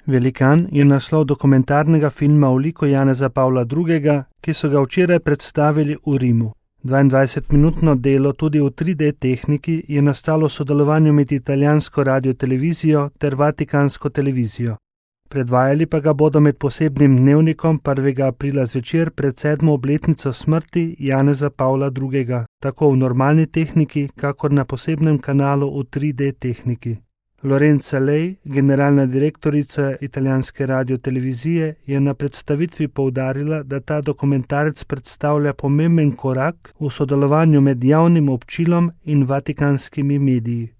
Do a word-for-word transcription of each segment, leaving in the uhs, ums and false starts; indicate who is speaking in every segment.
Speaker 1: Velikan je naslov dokumentarnega filma o liku Janeza Pavla drugega, ki so ga včeraj predstavili v Rimu. dvaindvajsetminutno delo tudi v tri D tehniki je nastalo v sodelovanju med italijansko radiotelevizijo ter vatikansko televizijo. Predvajali pa ga bodo med posebnim dnevnikom prvega aprila zvečer pred sedmo obletnico smrti Janeza Pavla drugega, tako v normalni tehniki, kakor na posebnem kanalu v tri D tehniki. Lorenza Lej, generalna direktorica italijanske radiotelevizije, je na predstavitvi poudarila, da ta dokumentarec predstavlja pomemben korak v sodelovanju med javnim občilom in vatikanskimi mediji.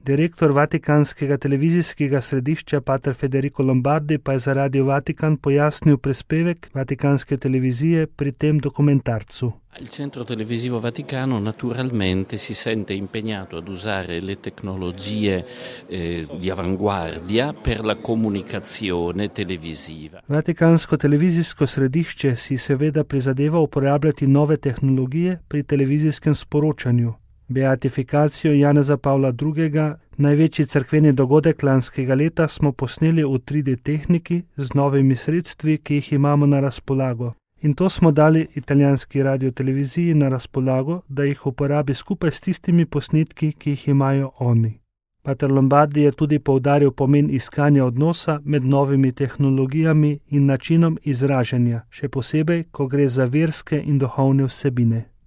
Speaker 1: Direktor vatikanskega televizijskega središča pater Federico Lombardi pa je za Radio Vatikan pojasnil prispevek vatikanske televizije pri tem dokumentarcu.
Speaker 2: Il Centro Televisivo Vaticano naturalmente si sente impegnato ad usare le tecnologie eh, di avanguardia per la comunicazione televisiva.
Speaker 1: Vatikansko televizijsko središče si seveda prizadeva uporabljati nove tehnologije pri televizijskem sporočanju. Beatifikacijo Janeza Pavla drugega, največji cerkveni dogodek lanskega leta, smo posneli v tri D tehniki z novimi sredstvi, ki jih imamo na razpolago. In to smo dali italijanski radioteleviziji na razpolago, da jih uporabi skupaj s tistimi posnetki, ki jih imajo oni. Pater Lombardi je tudi poudaril pomen iskanja odnosa med novimi tehnologijami in načinom izražanja, še posebej, ko gre za verske in duhovne vsebine.